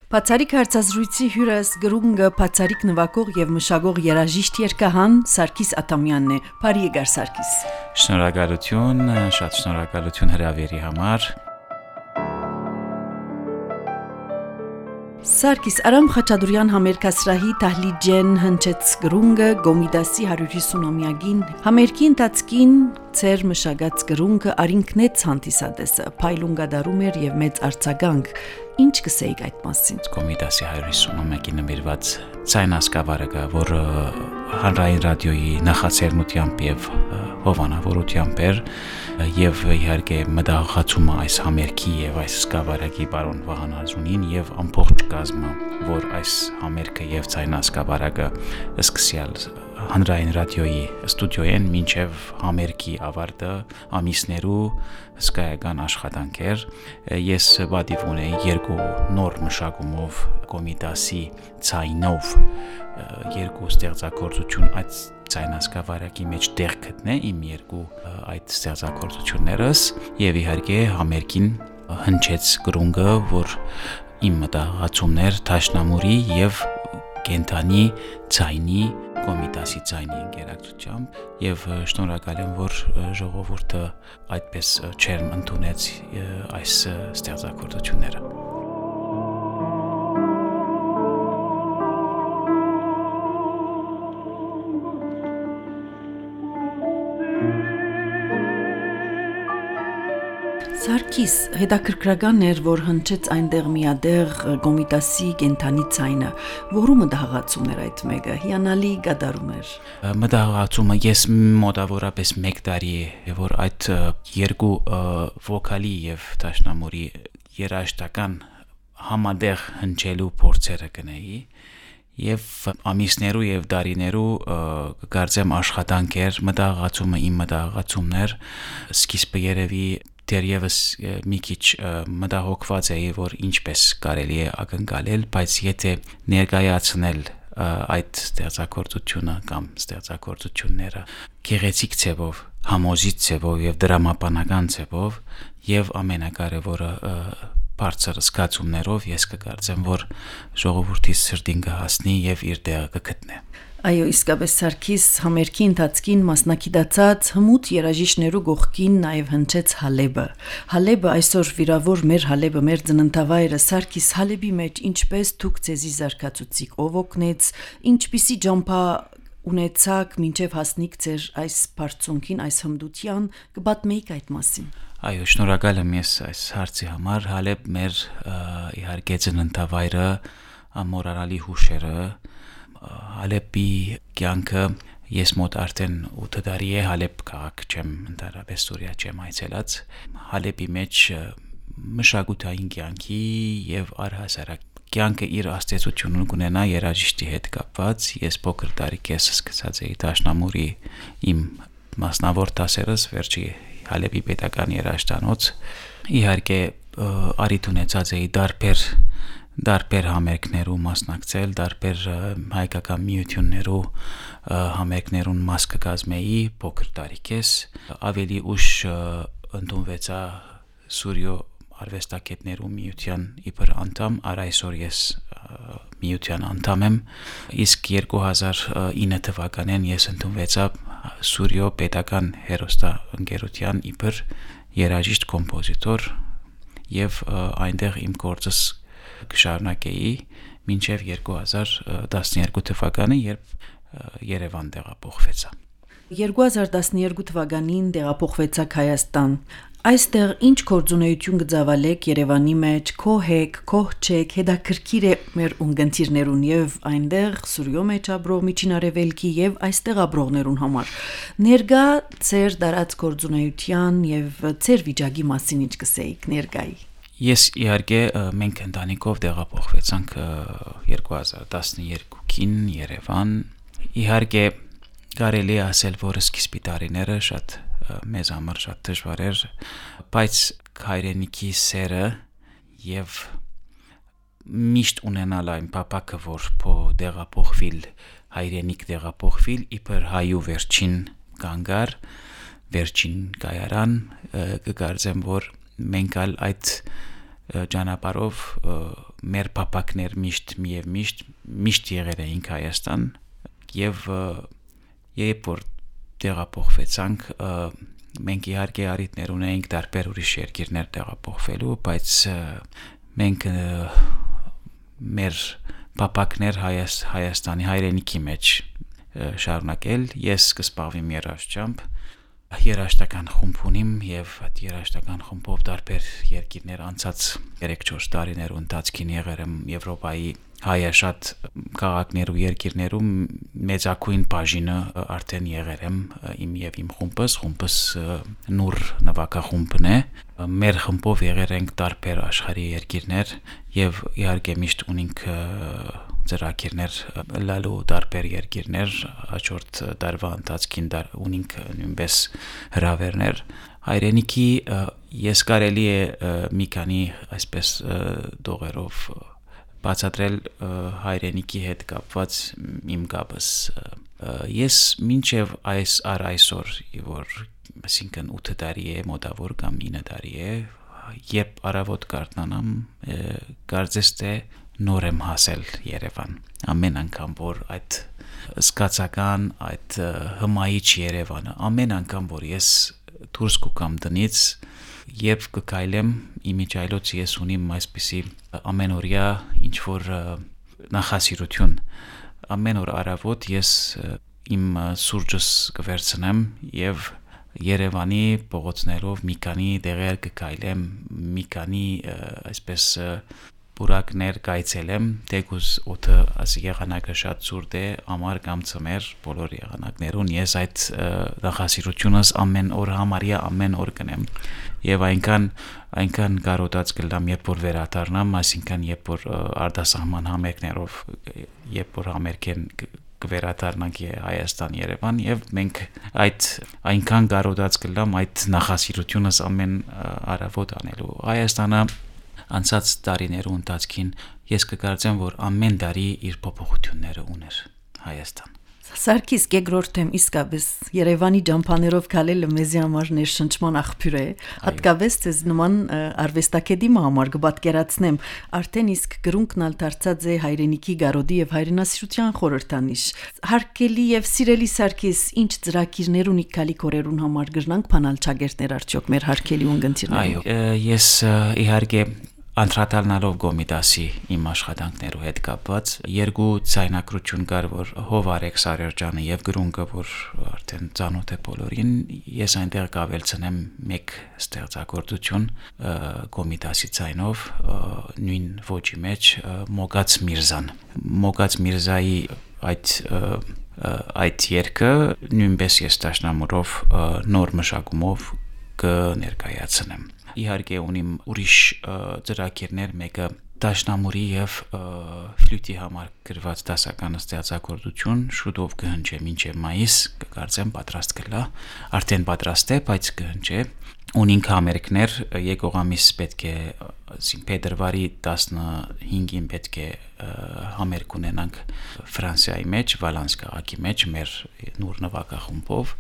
Բացարիք հարցազրույցի հյուրս գրունգը բացարիք նվագող եւ մշակող երաժիշտ երգահան Սարգիս Աթամյանն է։ Բարի եկար Սարգիս։ Շնորհակալություն, շատ շնորհակալություն հրավերի համար։ Սարգիս Արամ Խաչատուրյան համերգասրահի Թահլիջեն հնչեց գրունգը Գոմիդասի 150-ամյակին համերգի ընթացքին ծեր մշակած գրունգը արինքնեց հանդիսադեսը փայլունգադարում էր եւ մեծ արձագանք ինչ կսեիք այդ մասին Գոմիդասի 150-ամյակին նվիրված ցայնասկավարակը որ հանրային ռադիոյի նախաձեռնությամբ եւ հովանավորությամբ էր եւ իհարկե մտահղացումը այս համերգի եւ այս սկավարակի բարոն Վահան Ազունին եւ ամբողջ կազմը որ այս համերգը եւ ցայնասկավարակը սկսյալ հանրային ռադիոյի ստուդիոյեն մինչև համերգի ավարտը ամիսներու հսկայական աշխատանք էր ես բադիվ ունեի երկու նոր մշակումով Գոմիդասի ցայնով երկու ստեղծագործություն այդ ցայնասկավարակի մեջ տեղ գտնե իմ երկու այդ ստեղծագործություններս եւ իհարկե համերգին հնչեց գրունգը որ իմ մտահղացումներ Թաշնամուրի եւ Կենթանի ցայնի Գոմիդասի ցայնի ինտերակցիությամբ եւ շնորհակալ եմ որ ժողովուրդը այդպես չերմ ընդունեց այս ստեղծագործությունները Սարգիս հետաքրքրական էր որ հնչեց այնտեղ միադեղ Գոմիդասի Կենթանի ցայնը որու մտահղացումներ այդ մեկը հիանալի գդարում էր մտահղացումը ես մոտավորապես 1 տարի որ այդ երկու վոկալի եւ Թաշնամուրի երաժշտական համադեղ հնչելու փորձերը կնեի եւ ամիսներու եւ դարիներու կարծեմ աշխատանքեր մտահղացումը իմ մտահղացումներ սկիզբը երևի դերևս մի քիչ մտահոգված էի որ ինչպես կարելի է ակնկալել բայց եթե ներկայացնել այդ ստեղծագործությունը կամ ստեղծագործությունները գեղեցիկ ձևով համոզիչ ձևով եւ դրամապանական ձևով եւ ամենակարևորը բարձր զգացումներով ես կկարծեմ որ ժողովրդի սրտին կհասնի եւ իր տեղը կգտնի Այո, իսկապես Սարգիս համերգի ընթացքին մասնակցած հմուտ երաժիշտներու գողքին նաև հնչեց Հալեբը։ Հալեբը այսօր վիրավոր մեր Հալեբը մեր ծննդավայրը Սարգիս Հալեբի մեջ ինչպես դուք ցեզի զարգացուցիկ ով օգնեց, ինչպիսի ջամփա ունեցաք մինչև հասնիք ձեր այս բարձունքին, այս հմդության կպատմեիք այդ մասին։ Այո, շնորհակալ եմ ես այս հարցի համար։ Հալեբ մեր իհարկե ծննդավայրը ամորալի հուշերը Հալեբի կյանքը ես մոտ արդեն 8 տարի է Հալեբ քաղաք չեմ ընդհանրապես Սուրիա չեմ այցելած Հալեբի մեջ մշակութային կյանքի եւ առհասարակ կյանքը իր աստեցությունը կունենա երաժիշտի հետ կապված ես փոքր տարիքից սկսած էի Թաշնամուրի իմ մասնավոր դասերս վերջի Հալեբի պետական երաժշտանոց իհարկե արիթ ունեցած էի դարբեր համերգներու մասնակցել, դարբեր հայկական միություններու համերգներուն մաս կազմեի փոքր տարիքից, ավելի ուշ ընդունվեցա Սուրիո արվեստագետներու միության իբր անդամ, այսօր ես միության անդամ եմ, իսկ 2009 թվականին ես ընդունվեցա Սուրիո պետական հեռուստաընկերության իբր երաժիշտ կոմպոզիտոր եւ այնտեղ իմ գործս կշարունակեի մինչև 2012 թվականը, երբ Երևան տեղափոխվեցա։ 2012 թվականին տեղափոխվեցաք Հայաստան։ Այստեղ ինչ գործունեություն կձավալեք Երևանի մեջ, քո հեկ, քո չեք, հետաքրքիր է մեր ունգընտիրներուն եւ այնտեղ Սուրիո մեջ ապրող Միջին Արևելքի եւ այստեղ ապրողներուն համար։ Ներկա ծեր դարած գործունեության եւ ծեր վիճակի մասին ինչ կսեիք ներկայի։ Ես իհարկե մենք ընտանիքով տեղափոխվեցանք 2012-ին Երևան։ Իհարկե կարելի է ասել, որ սկիզբի տարիները շատ մեզ համար շատ դժվար էր, բայց հայրենիքի սերը եւ միշտ ունենալ այն պապակը, որ տեղափոխվիլ հայրենիք տեղափոխվիլ իբր հայու վերջին կանգար, վերջին կայարան, կկարծեմ, որ մենք ալ այդ ճանապարհով մեր պապակներ միշտ եղել էինք Հայաստան եւ երբ որ տեղափոխվեցանք մենք իհարկե արիտներ ունեինք տարբեր ուրիշ երկիրներ տեղափոխվելու, բայց մենք մեր պապակներ Հայաստանի հայրենիքի մեջ շարունակել, ես կսպասվեմ երաժշտական խումբ ունիմ եւ այդ երաժշտական խումբով տարբեր երկիրներ անցած 3-4 տարիներ ընթացքին եղել եմ Եվրոպայի հայաշատ քաղաքներու երկիրներում մեծակույն բաժինը արդեն եղել եմ իմ խումբս նուր նվագախումբն է մեր խմբով եղել ենք տարբեր աշխարհի երկիրներ եւ իհարկե միշտ ունենք ծրագիրներ լալու տարբեր երկիրներ հաջորդ տարվա ընթացքին ունենք նույնպես հրավերներ հայրենիքի ես կարելի է մի քանի այսպես դողերով բացատրել հայրենիքի հետ կապված իմ կապս ես մինչև այսօր որ այսինքն 8 տարի է մոտավոր կամ 9 տարի է երբ առավոտ կարդանամ կարծես թե նոր եմ հասել Երևան ամեն անգամ որ այդ սկացական այդ հմայիչ Երևանը ամեն անգամ որ ես դուրս կգամ տնից Եվ կկայլեմ իմիջայլոց ես ունիմ այսպիսի ամենօրյա ինչ-որ նախասիրություն ամեն օր առավոտ ես իմ սուրճս կվերցնեմ եւ Երևանի փողոցներով մի քանի դեղեր կկայլեմ մի քանի այսպես բուրակներ կայցելեմ դեգուս օդը աս եղանակը շատ ցուրտ է ամառ կամ ցմեր բոլոր եղանակներուն ես այդ նախասիրությունս ամեն օր համարյա ամեն օր կնեմ եւ այնքան կարոտած կլամ երբ որ վերադառնամ այսինքն երբ որ արտասահման համերգներով երբ որ համերգեն կվերադառնանք Հայաստան Երևան եւ մենք այդ այնքան կարոտած կլամ այդ նախասիրությունս ամեն առավոտ անելու Հայաստանը անցած տարիներու ընթացքին ես կկարծեմ որ ամեն տարի իր փոփոխությունները ուներ Հայաստան Սարգիս Գեգրորթեմ իսկապես Երևանի ջամփաներով քալելը մեզի համար ներշնչման աղբյուր է հատկապես ցեզ նման արվեստագետի համար կպատկերացնեմ արդեն իսկ գրունկն ալ դարձած է հայրենիքի գարոդի եւ հայրենասիրության խորհրդանիշ հարկելի եւ սիրելի Սարգիս ինչ ծրագիրներ ունի քալի կորերուն համար գրնանք բանալ ճագերտներ արդյոք մեր հարկելի ունգընտիրները այո ես իհարկե Անդրադառնալով Գոմիդասի իմ աշխատանքներու հետ կապված երկու ցայնակրություն կար որ Հովարեկ Սարերջյանը եւ Գրունկը որ արդեն ծանոթ է բոլորին ես այնտեղ կավելցնեմ մեկ ստեղծագործություն Գոմիդասի ցայնով նույն ոճի մեջ Մոգաց Միրզայի այդ երգը նույնպես ես դաշնամուրով նոր մշակումով կներկայացնեմ Իհարկե ունիմ ուրիշ ծրագիրներ մեկը դաշնամուրի եւ ֆլյուտի համար գրված դասական ստեղծագործություն շուտով կհնչի մինչեւ մայիս կկարծեմ պատրաստ կլա արդեն պատրաստ է բայց կհնչի ունինք համերգներ եկող ամիս պետք է փետրվարի 15-ին պետք է համերգ ունենանք Ֆրանսիայի մեջ Վալանս քաղաքի մեջ մեր նոր նվագախումբով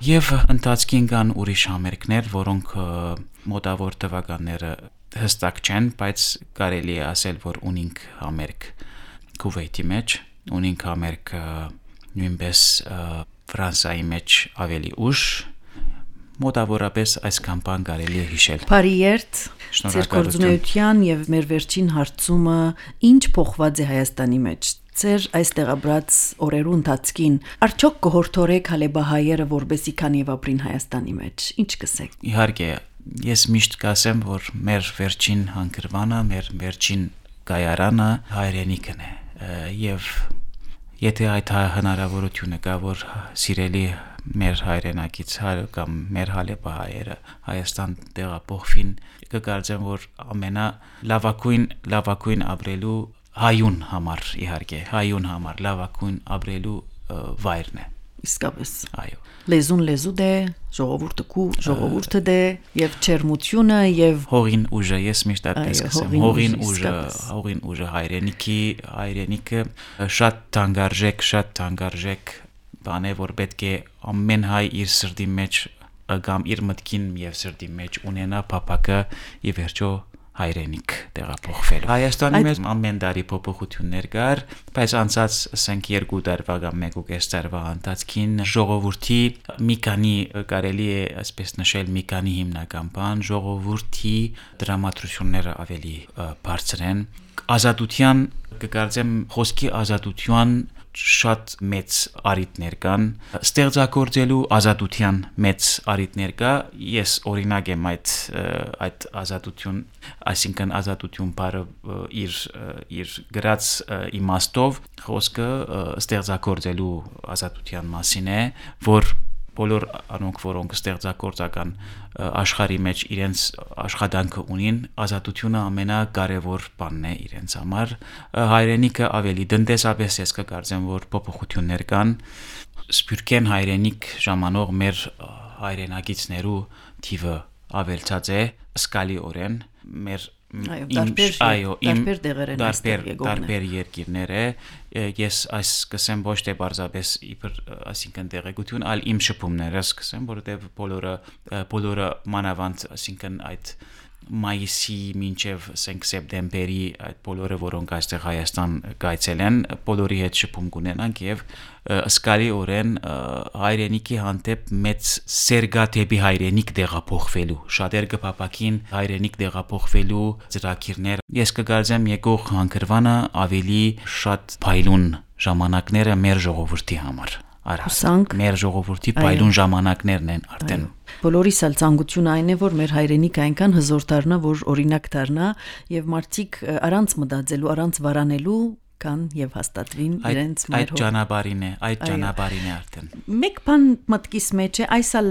եւ ընթացքին կան ուրիշ համերգներ որոնք մոտավոր թվականները հստակ չեն բայց կարելի է ասել որ ունինք համերգ Քուվեյթի մեջ ունինք համերգ նույնպես Ֆրանսիայի մեջ ավելի ուշ մոտավորապես այսքան բան կարելի է հիշել Փարիերտ Ձեր գործունեության եւ մեր վերջին հարցումը ինչ փոխված է Հայաստանի մեջ Ձեր այստեղ ապրած օրերու ընթացքին արդյոք կհորդորեք հալեբահայերը որբեսի քան եւ ապրին Հայաստանի մեջ ինչ կսեք Իհարկե ես միշտ կասեմ որ մեր վերջին հանգրվանը մեր վերջին կայարանը հայրենիքն է եւ եթե այդ հնարավորությունը կա որ սիրելի մեր հայրենակից կամ մեր հալեբահայերը Հայաստան տեղափոխվին կկարծեմ որ լավագույն ապրելու հայուն համար իհարկե հայուն համար լավագույն ապրելու վայրն է իսկապես այո լեզուն լեզու դե ժողովուրդը դե եւ չերմությունը եւ հողին ուժը ես միշտ այդպես կասեմ հողին ուժը հայրենիքը շատ թանկարժեք բան է որ պետք է ամեն հայ իր սրտի մեջ կամ իր մտքին եւ սրտի մեջ ունենա փապակը ի վերջո հայրենիք տեղափոխվելու։ Հայաստանի մեջ ամեն տարի փոփոխություններ կար, բայց անցած ասենք 2 տարվա կամ 1.5 տարվա ընթացքին ժողովրդի մի քանի կարելի է այսպես նշել մի քանի հիմնական բան, ժողովրդի դրամատրությունները ավելի բարձր են, ազատության կկարծեմ խոսքի ազատության շատ մեծ արիտներ կան, ստեղծագործելու ազատության մեծ արիտներ կա, ես օրինակ եմ այդ ազատություն, այսինքն ազատություն բառը իր գրած իմաստով խոսքը ստեղծագործելու ազատության մասին է, որ բոլոր անոնք, որոնք ստեղծագործական աշխարհի մեջ իրենց աշխատանքը ունին, ազատությունը ամենակարևոր բանն է իրենց համար, հայրենիքը ավելի տնտեսապես ես կկարծեմ, որ փոփոխություններ կան, սփյուռքեն հայրենիք ժամանող մեր հայրենակիցներու թիվը ավելացած է զգալիորեն, մեր տարբեր երկիրներ է, ես այս կսեմ ոչ թե բարձրապես այսինքն տեղեկություն, այլ իմ շփումներս կսեմ, որովհետև բոլորը մանավանդ, այսինքն այդ մայիսի մինչև սեպտեմբերի այդ բոլորը, որոնք այստեղ Հայաստան գայցել են, բոլորի հետ շփում կունենանք եւ զգալիորեն հայրենիքի հանդեպ մեծ սերգա դեպի հայրենիք տեղափոխվելու, շատեր կփապակին հայրենիք տեղափոխվելու ծրագիրներ։ Ես կգարձեմ եկող հանգրվանը ավելի շատ փայլուն ժամանակները մեր ժողովրդի համար։ Արհասանք մեր ժողովրդի փայլուն ժամանակներն են արդեն։ Բոլորիս էլ ցանկությունը այն է, որ մեր հայրենիքը այնքան հզոր դառնա, որ օրինակ դառնա եւ մարդիկ առանց մտածելու, առանց վարանելու կան եւ հաստատվին իրենց այդ ճանապարհին է արդեն։ Մեկ բան մտքիս մեջ է, այսալ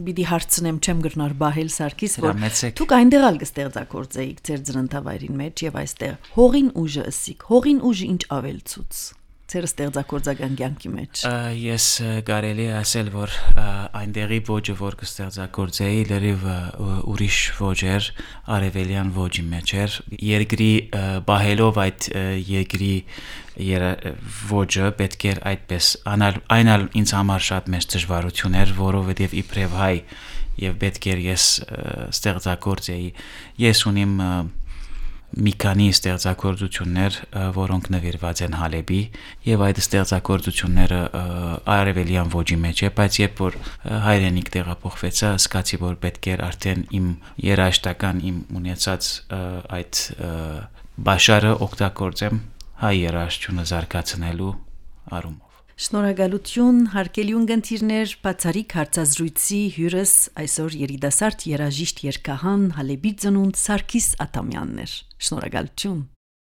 պիտի հարցնեմ, չեմ գրնար բահել Սարգիս, որ դուք այնտեղ ալ կստեղծագործեիք ձեր ծննդավայրին մեջ եւ այստեղ հողին ուժը ըսիկ, հողին ուժը ինչ ավելցուց ձեր ստեղծագործական կյանքի մեջ։ Ես կարելի է ասել, որ այնտեղի ոճը, որ կստեղծագործեի, լրիվ ուրիշ ոճ էր, արևելյան ոճի մեջ էր։ Երկրի բահելով այդ երկրի ոճը պետք էր այդպես այն ինձ համար շատ մեծ դժվարություն էր, որովհետև իբրև հայ եւ պետք էր ես ստեղծագործեի։ Ես ունիմ մի քանի ստեղծագործություններ, որոնք նվիրված են Հալեբի եւ այդ ստեղծագործությունները արևելյան ոճի մեջ է, բայց երբ որ հայրենիք տեղափոխվեցա, զգացի, որ պետք էր արդեն իմ երաժշտական իմ ունեցած այդ բաշարը օգտագործեմ հայ երաժշտությունը զարգացնելու առումով։ Շնորհակալություն, հարգելի ունկնդիրներ, բացառիկ հարցազրույցի հյուրս այսօր երիտասարդ երաժիշտ երգահան Հալեբի ծնունդ Սարգիս Աթամյանն էր։ Շնորհակալություն։